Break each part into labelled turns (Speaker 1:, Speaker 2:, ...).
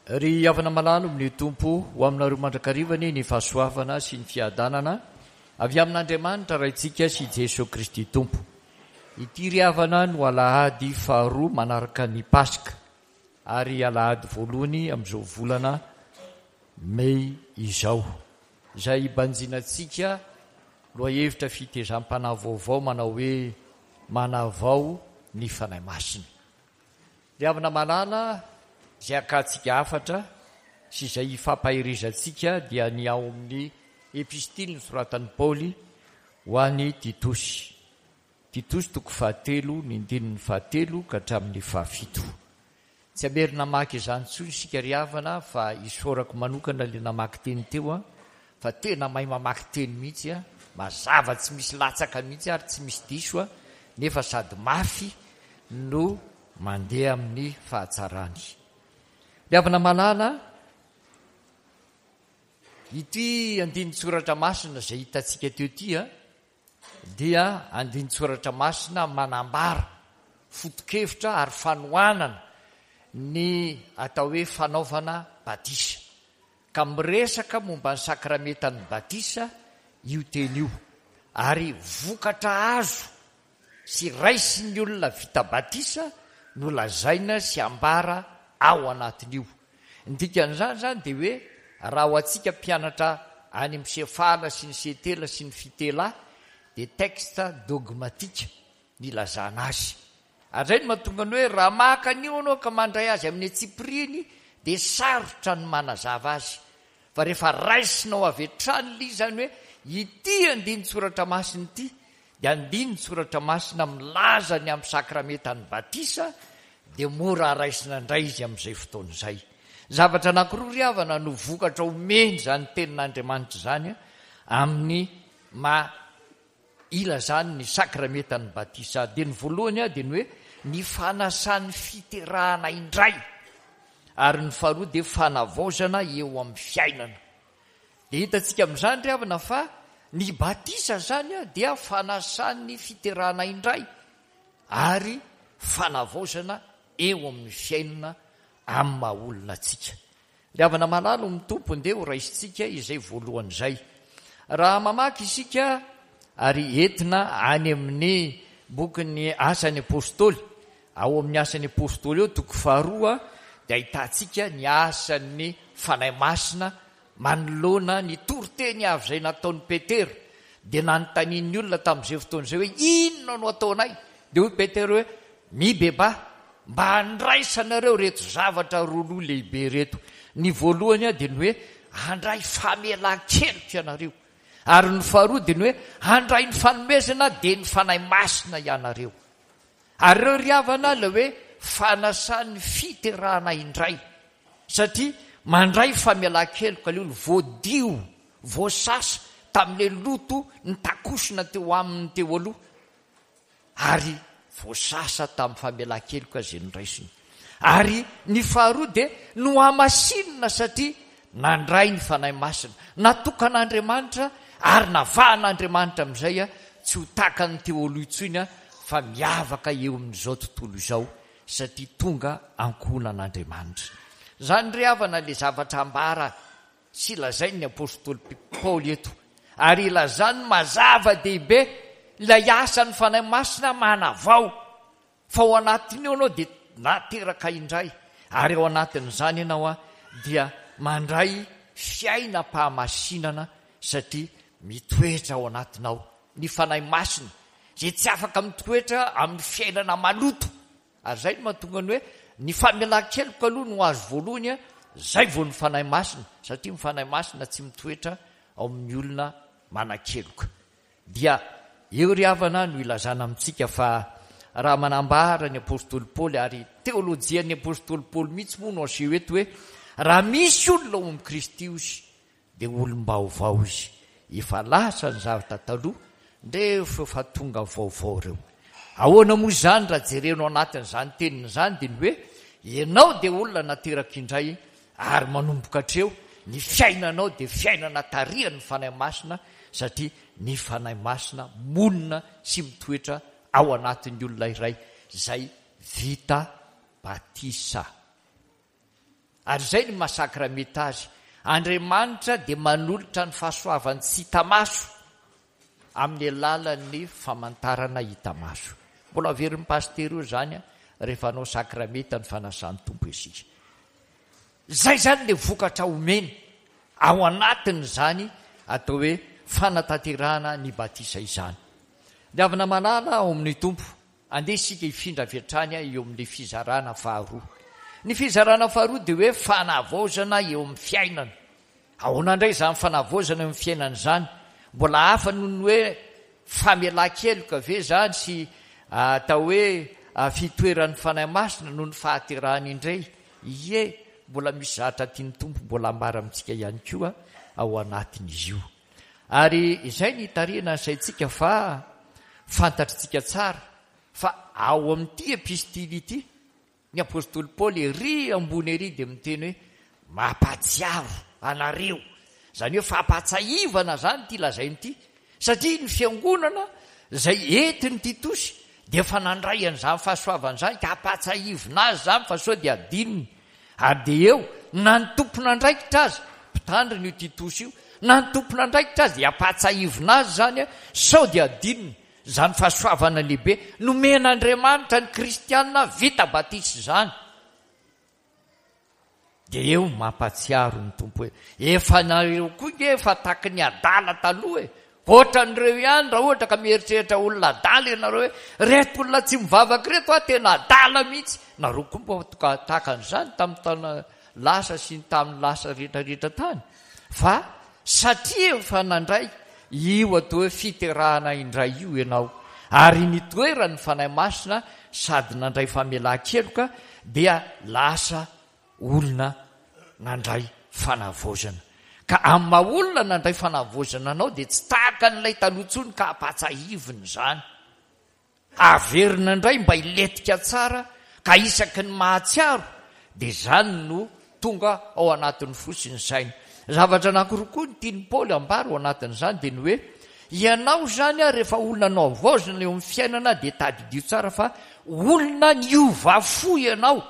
Speaker 1: Ry havana malala amin'ny Tompo, ho aminareo mandrakariva anie ny fahasoavana sy ny fiadanana avy amin'Andriamanitra Raintsika sy Jesoa Kristy Tompo. Ity ry havana no alahady faharoa manaraka ny Paska ary alahady voalohany amin'izao volana Mey izao, izay hibanjinantsika lohahevitra fitezam-panahy vaovao manao hoe Manavao ny Fanahy Masina. Ry havana malala, izay hakantsika hafatra sy izay hifampaherezantsika dia ny ao amin'ny Epistily nosoratan'i Paoly ho an'i Titosy. Titosy toko fahatelo, ny andininy fahatelo ka hatramin'ny fahafito. Tsy hamerina hamaky izany intsony isika ry havana fa isaorako manokana ilay namaky teny teo an, fa tena mahay mamaky teny mihitsy an, mazava tsy misy latsaka mihitsy ary tsy misy diso an, nefa sady mafy no mandeha amin'ny fahatsarany. Ry havana malala, ity andinin-tsoratra masina izay hitantsika teo ity an, dia andinin-tsoratra masina manambara foto-kevitra ary fanohanana ny atao hoe fanaovana batisa. Ka miresaka momba ny sakramentan'ny batisa io teny io, ary vokatra azo sy raisin'ny olona vita batisa no lazaina sy ambara ao anatin'io. Ny dikan'izany izany dia hoe raha ho antsika mpianatra any amin'ny Sefala sy ny Setela sy ny Fitela dia texte dogmatique ny ilazana azy. Ary izay no mahatonga ny hoe raha maka an'io ianao ka mandray azy amin'ny antsipiriany dia sarotra ny manazava azy. Fa rehefa raisinao avy hatrany ilay izy izany hoe ity andinin-tsoratra masina ity dia andinin-tsoratra masina milaza ny amin'ny sakramentan'ny batisa dia mora raisina indray izy amin'izay fotoana izay. Zavatra anankiroa ry havana no vokatra omeny izany tenin'Andriamanitra izany amin'ny maha ilazany ny sakramentan'ny batisa. Dia ny voalohany dia ny hoe ny fanasan'ny fiterahana indray ary ny faharoa dia fanavaozana eo amin'ny fiainana. Dia hitantsika amin'izany ry havana fa ny batisa izany dia fanasan'ny fiterahana indray ary fanavaozana eo amin'ny fiainana amin'ny maha olona antsika. Ry havana malala ao amin'ny Tompo, ndeha ho raisintsika izay voalohany izay. Raha mamaky isika ary entina any amin'ny bokin'ny Asan'ny Apostoly, ao amin'ny Asan'ny Apostoly ao toko faharoa dia ahitantsika ny asan'ny Fanahy Masina Manoloana ny toriteny avy izay nataon'i Petera, dia nanontanian'ny olona tamin'izay fotoana izay hoe, Inona no hataonay? Dia hoy Petera hoe, Mibebaha, mba handraisanareo ireto zavatra roa loha lehibe ireto. Ny voalohany dia ny hoe handray famelan-keloka ianareo, ary ny faharoa dia ny hoe handray ny fanomezana dia ny Fanahy Masina ianareo. Ary ireo ry havana ilay hoe fanasan'ny fiterahana indray satria mandray famelan-keloka ilay olona voadio, voasasa tamin'ilay loto nitakosona teo aminy teo aloha ary voasasa tamin'ny famelan-keloka izay noraisiny. Ary ny faharoa dia nohamasinina satria nandray ny Fanahy Masina, natokan'Andriamanitra ary navahan'Andriamanitra amin'izay tsy ho takan'ny teo aloha intsony fa miavaka eo amin'izao tontolo izao satria tonga ankohonan'Andriamanitra. Izany ry havana ilay zavatra ambara sy lazain'ny apostoly Paoly eto ary ilazany mazava dehibe ilay asan'ny Fanahy Masina manavao Fa ao anatin'io ianao dia nateraka indray, ary ao anatin'izany ianao dia mandray fiainam-pahamasinana satria mitoetra ao anatinao ny Fanahy Masina izay tsy afaka mitoetra amin'ny fiainana maloto. Ary izay no mahatonga ny hoe ny famelan-keloka aloha no azo voalohany, izay vao ny Fanahy Masina, satria ny Fanahy Masina tsy mitoetra ao amin'ny olona manan-keloka. Dia eo ry havana no ilazana amintsika fa raha manambara ny apostoly Paoly, ary teolojian'ny apostoly Paoly mihitsy moa no aseho eto hoe raha misy olona ao amin'i Kristy ozy dia olom-baovao izy, efa lasa ny zavatra taloha, ndreo efa tonga vaovao ireo. Ahoana moa izany raha jerena ao anatin'izany teniny izany dia ny hoe ianao dia olona nateraka indray ary manomboka hatreo ny fiainanao dia fiainana tarihan'ny Fanahy Masina satria ny Fanahy Masina monina sy mitoetra ao anatin'ny olona iray izay vita batisa. Ary izay ny maha sakramenta azy. Andriamanitra dia manolotra ny fahasoavany tsy hita maso amin'ny alalan'ny famantarana hita maso. Mbola averin'ny pasitera io izany rehefa hanao sakramenta ny fanasan'ny Tompo isika. Izay izany ilay vokatra omeny ao anatin'izany atao hoe fanatanterahana ny batisa izany. Ny havana malala ao amin'ny Tompo, andeha isika hifindra avy hatrany eo amin'ilay fizarana faharoa. Ny fizarana faharoa dia hoe fanavaozana eo amin'ny fiainana. Ahoana indray izany fanavaozana eo amin'ny fiainana izany? Mbola hafa noho ny hoe famelan-keloka ve izany sy atao hoe fitoeran'ny Fanahy Masina noho ny fahaterahana indray? Ie, mbola misy zavatra tian'ny Tompo mbola ambara amintsika ihany koa ao anatin'izy io. Ary izay ny hitarihana ny saintsika fa fantatritsika tsara fa ao amin'ity epistily ity, Ny apostoly Paoly ery ambony ery dia miteny hoe mampahatsiaro anareo. Izany hoe fampahatsahivana izany ity lazainy ity, satria ny fiangonana izay entin'i Titosy dia efa nandray an'izany fahasoavana izany ka ampahatsahivina azy izany fa sao dia adinony. Ary dia eo, na ny tompon'andraikitra aza, mpitandrina io Titosy io, na ny tompon'andraikitra aza dia ampahatsahivina azy izany sao dia adinony. Izany fahasoavana lehibe nomen'Andriamanitra ny kristiana vita batisa izany. Dia eo mampahatsiaro ny Tompo hoe, efa nareo koa nge efa taky ny adala taloha e! Ohatran'ireo ihany raha ohatra ka mieritreritra olona adala ianareo hoe, reto olona tsy mivavaka ireto ah tena adala mihitsy. Nareo koa mba toka tahaka an'izany tamin'ny taona lasa sy ny tamin'ny lasa rehetrarehetra tany. Fa satria efa nandray io atao hoe fiterahana indray io ianao, ary nitoeran'ny Fanahy Masina sady nandray famelan-keloka, dia lasa olona nandray fanavaozana. Ka amin'ny maha olona nandray fanavaozana anao dia tsy tahaka an'ilay taloha intsony ka ampahatsahivina izany. Averina indray mba hilentika tsara ka isaky ny mahatsiaro dia izany no tonga ao anatin'ny fo sy ny saina. Zavatra anankiroa koa no tian'i Paoly ambara ao anatin'izany dia ny hoe ianao izany rehefa olona nohavaozina eo amin'ny fiainana dia tadidio tsara fa olona niova fo ianao.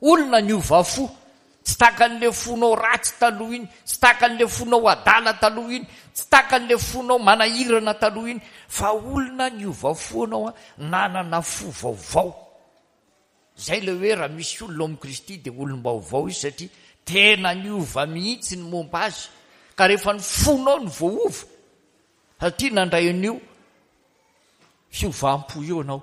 Speaker 1: Olona niova fo. Tsy tahaka an'ilay fonao ratsy taloha iny, tsy tahaka an'ilay fonao adala taloha iny, tsy tahaka an'ilay fonao manahirana taloha iny, fa olona niova fo ianao, nanana fo vaovao. Izay ilay hoe raha misy olona ao amin'i Kristy dia olom-baovao izy satria tena niova mihitsy ny momba azy. Ka rehefa ny fonao no voaova, satria nandray an'io fiovam-po io ianao,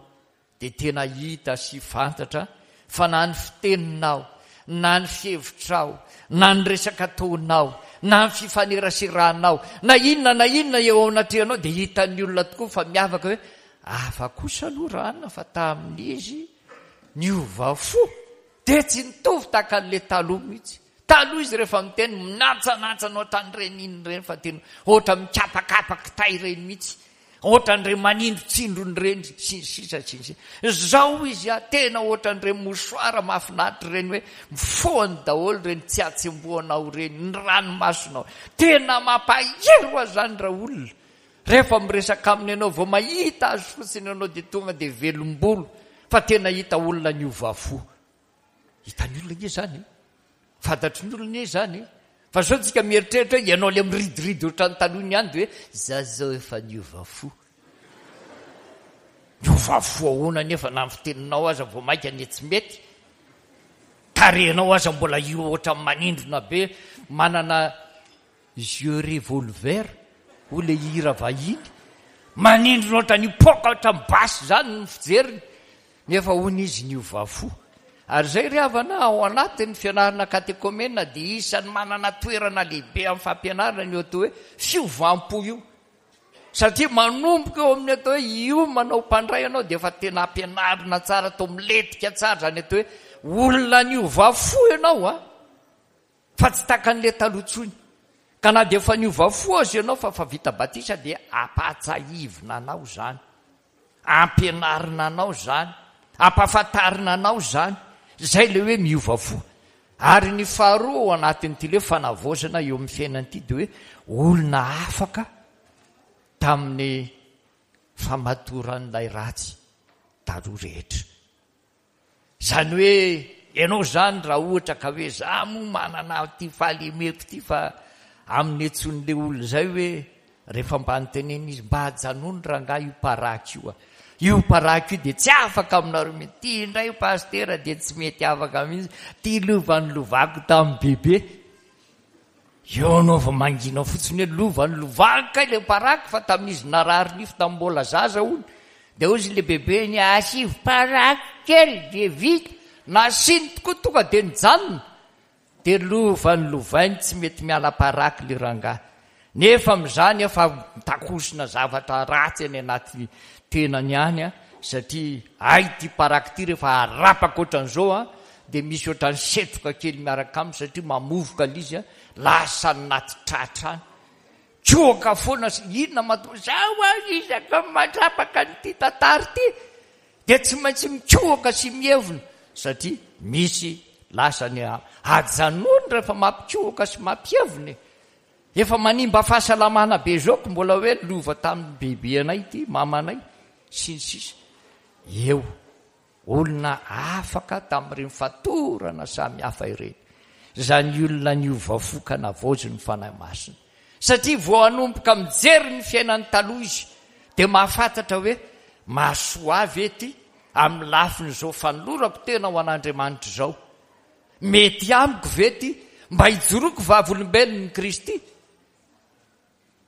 Speaker 1: dia tena hita sy fantatra fa na ny fiteninao, na ny fihevitrao, na ny resaka ataonao, na ny fifaneraseranao, na inona na inona eo anatrehanao dia hitan'ny olona tokoa fa miavaka hoe hafa kosa aloha Rana fa tamin'izy niova fo dia tsy nitovy tahaka an'ilay taloha mihitsy. Taloha izy rehefa miteny minantsanantsana ohatran'ireny inona ireny fa tena ohatra mikapakapa kitay ireny mihitsy. Ohatran'ireny manindrontsindrona ireny sy ny sisa sy ny sisa. Izao izy a, tena ohatran'ireny mouchoir mahafinaritra ireny hoe mifohany daholo ireny tsiatsembohanao ireny, ny ranomasonao. Tena mampahery ho azy izany raolona. Rehefa miresaka aminy ianao vao mahita azy fotsiny ianao dia tonga dia velom-bolo fa tena hita olona niova fo. Hitan'ny olona ange izany e. Fantatry ny olona anie izany e. Fa sao tsika mieritreritra hoe ianao ilay miridiridy ohatran'ny taloha iny ihany dia hoe za zao efa niova fo. Niova fo ahoana anefa na ny fiteninao aza vao mainka anie tsy mety. Tarehinao aza mbola io ohatran'ny manindrona be manana Yeux revolver hoy ilay hira vahiny, manindrona ohatran'ny hipoaka ohatran'ny basy izany ny fijeriny, nefa hono izy niova fo. Ary izay ry havana, ao anatin'ny fianarana katekomena dia isan'ny manana toerana lehibe amin'ny fampianarana io atao hoe fiovam-po io. Satria manomboka eo amin'ny atao hoe io manao mpandray anao dia efa tena ampianarina tsara, atao milentika tsara izany atao hoe olona niova fo ianao an! Fa tsy takan'ilay taloha intsony. Ka na dia efa niova fo aza ianao fa efa vita batisa dia ampahatsahivina anao izany. Ampianarina anao izany. Ampahafantarina anao izany. Izay ilay hoe miova fo. Ary ny faharoa ao anatin'ity ilay hoe fanavaozana eo amin'ny fiainana ity dia hoe olona afaka tamin'ny famatoran'ilay ratsy taloha rehetra. Izany hoe. Ianao izany raha ohatra ka hoe za moa manana ity fahalemeko ity fa amin'ny antson'ilay olona izay hoe rehefa mba notenenina izy mba ajanony rangahy io paraky io a. Io paraky io dia tsy afaka aminareo mihitsy. Ity indray pasitera dia tsy mety afaka mihitsy. Ity lova nolovako tamin'i bebe. Eo anao vao mangina fotsiny hoe lova nolovako kay ilay paraky fa tamin'izy narary nify tamin'ny mbola zaza hono. Dia hozy ilay bebeny asivo paraky kely dia vita. Nasiany tokoa tonga dia nijanona. Dia lova nolovainy tsy mety miala paraky le rangahy. Nefa amin'izany efa mitakosina zavatra ratsy any anaty tenany any an, satria hay ity paraky ity rehefa arapaka ohatran'izao an, dia misy ohatran'ny setroka kely miaraka aminy satria mamovoka ilay izy an, lasa any anaty tratra any. Kohaka foana sy inona mahatonga izao an, isaka mandrapaka an'ity tantara ity. Dia tsy maintsy mikohaka sy mievona satria misy lasa ny ajanony rehefa mampikohaka sy mampievona e. Efa manimba fahasalamana be zao ko mbola hoe lova tamin'ny bebe anay ity, mamanay, sy ny sisa. Eo, olona afaka tamin'ireny fatorana samy hafa ireny. Izany olona niova fo ka navaozin'ny Fanahy Masina. Satria vao hanomboka mijery ny fiainany taloha izy dia mahafantatra hoe mahasoa ahy ve ity amin'ny lafin'izao fanolorako tena ho an'Andriamanitra izao? Mety amiko ve ity mba hijoroako vavolombelon'i Kristy?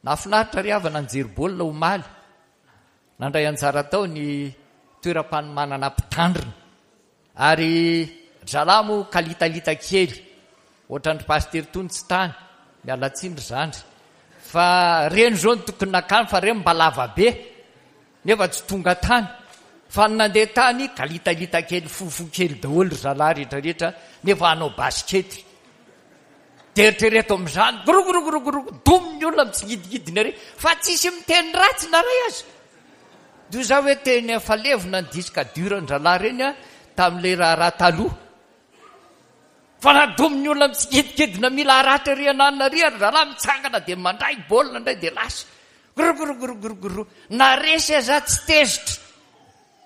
Speaker 1: Nahafinaritra ry havana nijery baolina omaly. Nandray anjara tao ny toeram-panomanana mpitandrina. Ary ry zalahy moa kalitalita kely ohatran'dry pasitera tony tsy tany, miala tsiny ry zandry fa reny zao no tokony nakany fa reny mba lava be nefa tsy tonga tany fa ny nandeha tany kalitalita kely fofo kely daholo ry zalahy rehetrarehetra nefa hanao basikety dia eritrereto amin'izany gorogorogorogoro domy ny olona mitsingidingidina ery fa tsisy miteny ratsy na ray aza Toy izao hoe teny efa levona ny disque dur an-dralahy ireny tamin'ilay raharaha taloha. Fa nadomin'ny olona mitsikidikidina mila haratra ery ananona ery ary rahalahy mitsangana dia mandray baolina indray dia lasa. Grogrogrogrogro. Na resy aza tsy tezitra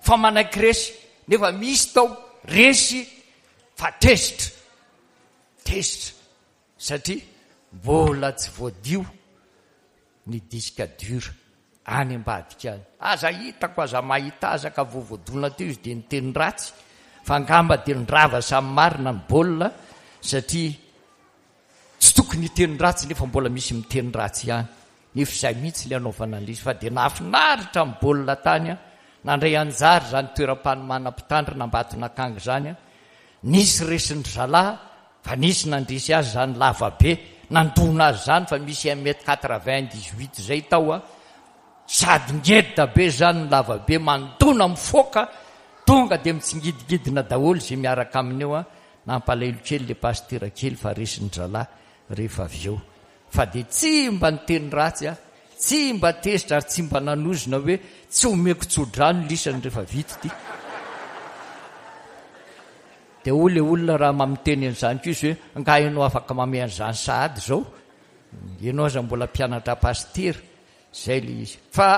Speaker 1: fa manaiky resy. Nefa misy tao resy fa tezitra. Tezitra satria mbola tsy voadio ny disque dur any ambadika any. Aza hitako, aza mahita aza ka vao voadona teo izy dia niteny ratsy fa angamba dia nirava samy marina ny baolina satria tsy tokony hiteny ratsy nefa mbola misy miteny ratsy ihany. Nefa izay mihitsy ilay anaovana an'ilay izy fa dia nahafinaritra ny baolina tany an. Nandray anjara izany toeram-panomana mpitandrina Ambatonakanga izany an. Nisy resin-dry zalahy Fa nisy nandresy azy zany lava be, nandona azy zany fa misy un mètre 98 zay tao a, sady ngeda be zany ny lava be, mandona mifoaka, tonga dia mitsingidingidina daholo zay miaraka aminy eo a, nampalahelo kely le pasitera kely fa resin-dralahy rehefa avy eo. Fa dia tsy mba niteny ratsy aho, tsy mba tezitra ary tsy mba nanozona hoe tsy omeko tso-drano lisany rehefa vita ity. Dia hoy ilay olona raha mba miteny an'izany koa izy hoe, angaha ianao afaka mamehy an'izany sahady izao? Ianao aza mbola mpianatra pasitera. Izay ilay izy. Fa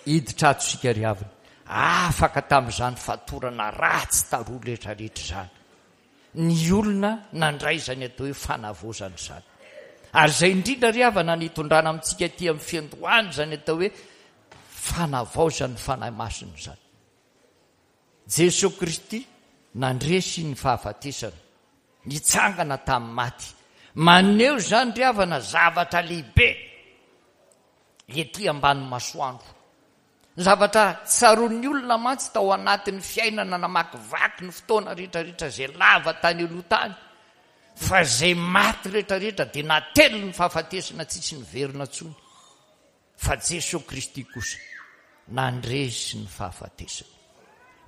Speaker 1: hiditra ato isika ry havana. Afaka tamin'izany fatorana ratsy taloha rehetrarehetra izany. Ny olona nandray izany atao hoe fanavaozana izany. Ary izay indrindra ry havana ny hitondrana amintsika aty amin'ny fiandohana izany atao hoe fanavaozan'ny Fanahy Masina izany. Jesoa Kristy nandresy ny fahafatesana, nitsangana tamin'ny maty. Maneho izany ry havana zavatra lehibe ety ambany masoandro. Ny zavatra tsaroan'ny olona mantsy tao anatin'ny fiainana namakivaky ny fotoana rehetrarehetra izay lava tany aloha tany, fa izay maty rehetrarehetra dia natelin'ny fahafatesana tsisy niverina intsony. Fa Jesoa Kristy kosa nandresy ny fahafatesana,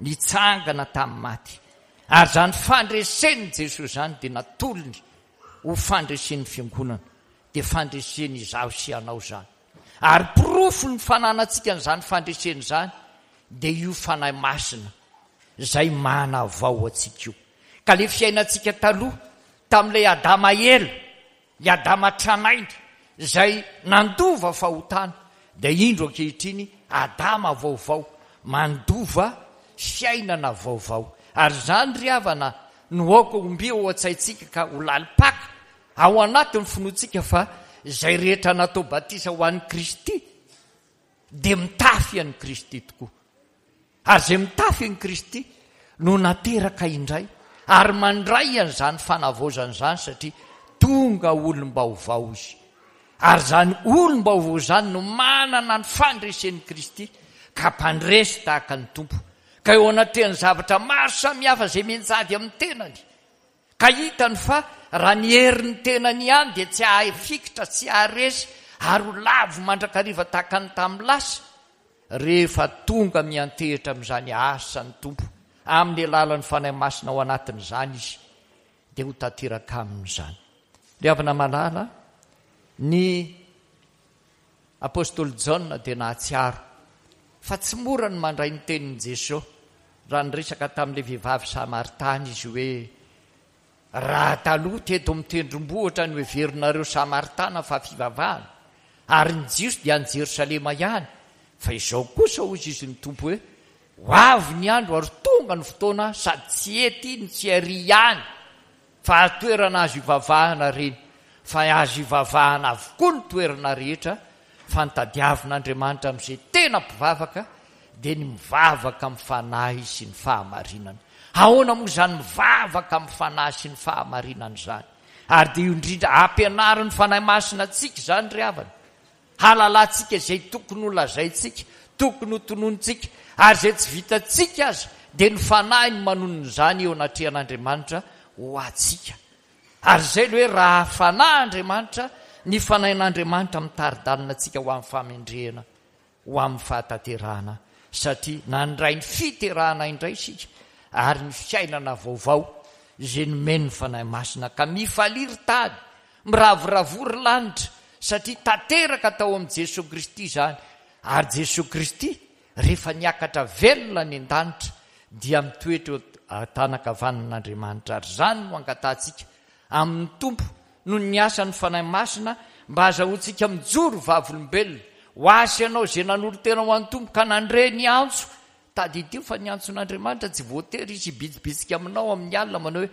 Speaker 1: nitsangana tamin'ny maty, ary izany fandresen'i Jesoa izany dia natolony ho fandresen'ny Fiangonana, dia fandreseny izaho sy ianao izany. Ary porofon'ny fananantsika an'izany fandresena izany dia io Fanahy Masina izay manavao antsika io. Ka ilay fiainantsika taloha tamin'ilay Adama ela, I Adama tranainy izay nandova fahotana dia indro ankehitriny Adama vaovao mandova fiainana vaovao. Ary izany ry havana no aoka ho mby ao an-tsaintsika ka ho lalim-paka ao anatin'ny finoantsika fa izay rehetra natao batisa ho an'i Kristy dia mitafy an'i Kristy tokoa. Ary izay mitafy an'i Kristy no nateraka indray ary mandray an'izany fanavaozana izany satria tonga olom-baovao izy. Ary izany olom-baovao izany no manana ny fandresen'i Kristy ka mpandresy tahaka ny Tompo. Ka eo anatrehan'ny zavatra maro samihafa izay mianjady amin'ny tenany, ka hitany fa raha ny herin'ny tenany ihany dia tsy hahafikitra, tsy haharesy ary ho lavo mandrakariva tahaka ny tamin'ny lasa, rehefa tonga miantehitra amin'izany asan'ny Tompo amin'ny alalan'ny Fanahy Masina ao anatin'izany izy, dia ho tanteraka aminy izany. Ry havana malala, ny Apostoly Jaona dia nahatsiaro fa tsy mora ny mandray ny tenin'i Jesosy raha niresaka tamin'ilay vehivavy samaritana izy hoe, Raha taloha teto amin'ny tendrombohitra no heverinareo Samaritana fa fivavahana, ary ny Jiosy dia any Jerosalema ihany, fa izao kosa hozy izy ny Tompo hoe, Ho avy ny andro ary tonga ny fotoana sady tsy ety no tsy ary ihany fa toerana azo ivavahana ireny, fa azo ivavahana avokoa ny toerana rehetra, fa ny tadiavin'Andriamanitra amin'izay tena mpivavaka dia ny mivavaka amin'ny fanahy sy ny fahamarinana. Ahoana moa izany mivavaka amin'ny fanahy sy ny fahamarinana izany? Ary dia io indrindra ampianarin'ny Fanahy Masina antsika izany ry havana. Halalantsika izay tokony ho lazaintsika, tokony ho tononintsika, ary izay tsy vitantsika aza dia ny Fanahy no manonona izany eo anatrehan'Andriamanitra ho antsika. Ary izay ilay hoe raha Fanahy Andriamanitra, ny Fanahin'Andriamanitra mitari-dalana antsika ho amin'ny fahamendrehana, ho amin'ny fahatanterahana, satria nandray ny fiterahana indray isika ary ny fiainana vaovao izay nomen'ny Fanahy Masina. Ka mifalia ry tany, miravoravoa ry lanitra, satria tanteraka tao amin'i Jesoa Kristy izany, ary Jesoa Kristy rehefa niakatra velona any an-danitra dia mitoetra eo an-tanan-kavanan'Andriamanitra, ary izany no angatahantsika amin'ny Tompo noho ny asan'ny Fanahy Masina mba hazahoantsika mijoro vavolombelona ho ahy sy ianao izay nanolo-tena ho an'ny Tompo ka nandre ny antso. Tadidio fa ny antson'Andriamanitra tsy voatery hisy hibitsibitsika aminao amin'ny alina manao hoe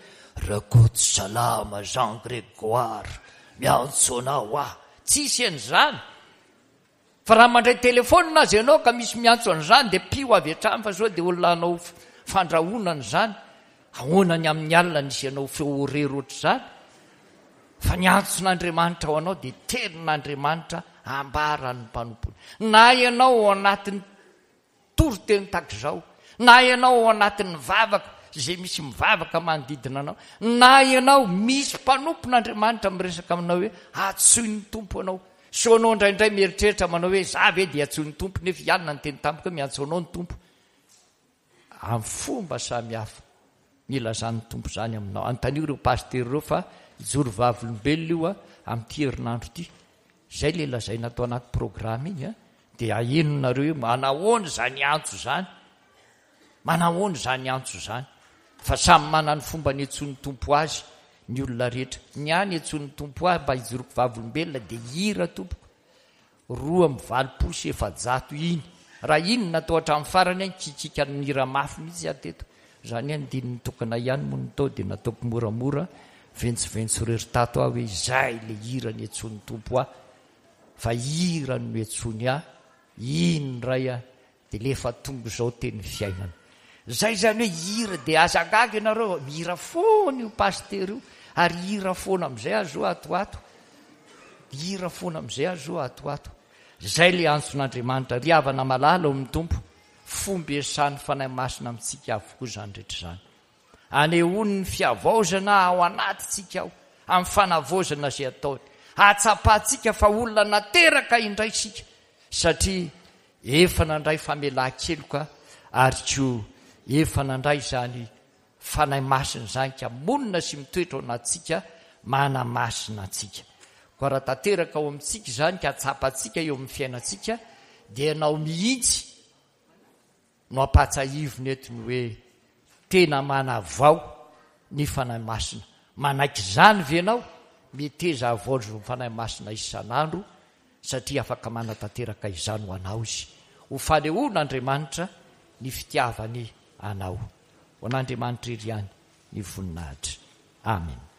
Speaker 1: Rakoto salama Jean Grégoire, miantso anao aho. Tsisy an'izany. Fa raha mandray telefaonina aza ianao ka misy miantso an'izany dia piho avy hatrany fa sao dia olona hanao fandrahonana izany. Ahoana ny amin'ny alina nisy anao feo horery ohatr'izany? Fa ny antson'Andriamanitra ho anao dia tenin'Andriamanitra ambaran'ny mpanompony. Na ianao ao anatin'ny toriteny tahaka izao, na ianao ao anatin'ny vavaka izay misy mivavaka manodidina anao, na ianao misy mpanompon'Andriamanitra miresaka aminao hoe antsoin'ny Tompo anao. Sao anao indraindray mieritreritra manao hoe za ve dia antsoin'ny Tompo nefa i Anna niteny tamiko hoe miantso anao ny Tompo. Amin'ny fomba samihafa nilazan'ny Tompo izany aminao. Anontanio ireo pasitera ireo fa hijoro vavolombelona io amin'ity herinandro ity. Izay ilay lazaina ato anaty programa iny a, dia ahenonareo eo manahoana izany antso izany, manahoana izany antso izany. Fa samy manana ny fomba niantsoan'ny Tompo azy ny olona rehetra. Ny ahy niantsoan'ny Tompo ahy mba hijoroko vavolombelona dia hira tompoko. 482 iny. Raha iny no natao hatramin'ny farany an, kikiaka nihira mafy mihitsy aho teto. Izany hoe andininy tokana ihany moa no tao dia nataoko moramora, ventsoventso irery tato aho hoe izay ilay hira niantsoan'ny Tompo ahy. Fa hira no niantsoany ahy, iny indray aho Dia le efa tonga izao teny fiainana. Zay zany hoe hira dia aza gaga ianareo mihira foana io pasitera io ary hira foana amizay aho zao ato ato. Hira foana amizay aho zao ato ato. Zay le antson'Andriamanitra ry havana malala ao amin'ny Tompo. Fomba iasan'ny Fanahy Masina amintsika avokoa izany rehetra izany. Anehoany ny fihavaozana ao anatintsika ao amin'ny fanavaozana izay ataony. Hahatsapantsika fa olona nateraka indray isika satria Efa nandray famelan-keloka ary koa efa nandray izany Fanahy Masina izany ka monina sy mitoetra ao anatintsika manamasina antsika. Koa raha tanteraka ao amintsika izany ka tsapantsika eo amin'ny fiainantsika dia ianao mihitsy no ampahatsahivina eto ny hoe tena manavao ny Fanahy Masina. Manaiky izany ve ianao? Meteza havaozina ny Fanahy Masina isan'andro satria afaka manatanteraka izany ho anao Izy. Ho fanehoan'Andriamanitra ny fitiavany anao. Ho an'Andriamanitra irery ihany. ny voninahitra. Amena.